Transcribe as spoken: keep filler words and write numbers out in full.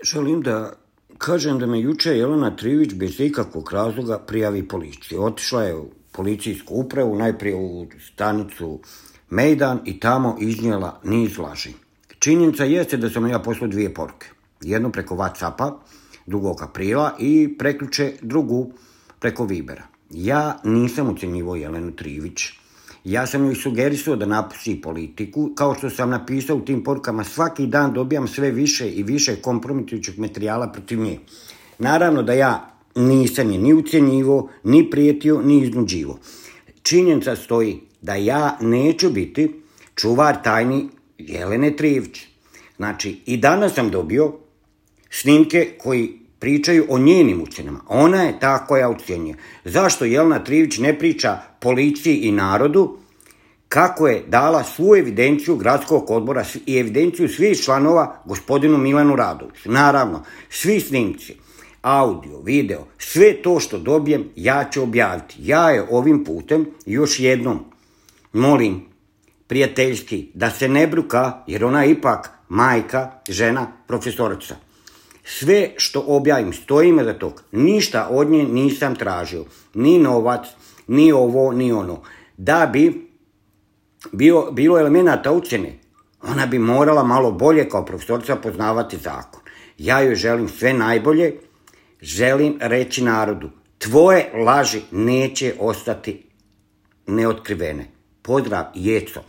Želim da kažem da me juče Jelena Trivić bez ikakvog razloga prijavi policiji. Otišla je u policijsku upravu, najprije u stanicu Mejdan i tamo iznijela niz laži. Činjenica jeste da sam ja poslao dvije poruke. Jednu preko WhatsAppa drugog aprila i prekjuče drugu preko Vibera. Ja nisam ucenjivao Jelenu Trivić. Ja sam joj sugerisao da napusti politiku, kao što sam napisao u tim porukama, svaki dan dobijam sve više i više kompromitujućeg materijala protiv nje. Naravno da ja nisam je ni ucenjivao, ni prijetio, ni iznuđivao. Činjenica stoji da ja neću biti čuvar tajni Jelene Trivić. Znači, i danas sam dobio snimke koji pričaju o njenim ucenama. Ona je ta koja ucenjuje. Zašto Jelena Trivić ne priča policiji i narodu kako je dala svu evidenciju gradskog odbora i evidenciju svih članova gospodinu Milanu Radoviću? Naravno, svi snimci, audio, video, sve to što dobijem ja ću objaviti. Ja je ovim putem još jednom molim prijateljski da se ne bruka, jer ona je ipak majka, žena, profesorica. Sve što objavim, stojim za tog. Ništa od nje nisam tražio. Ni novac, ni ovo, ni ono. Da bi bio, bilo elemenata ucjene, ona bi morala malo bolje kao profesorica poznavati zakon. Ja joj želim sve najbolje, želim reći narodu, tvoje laži neće ostati neotkrivene. Pozdrav, Jeco.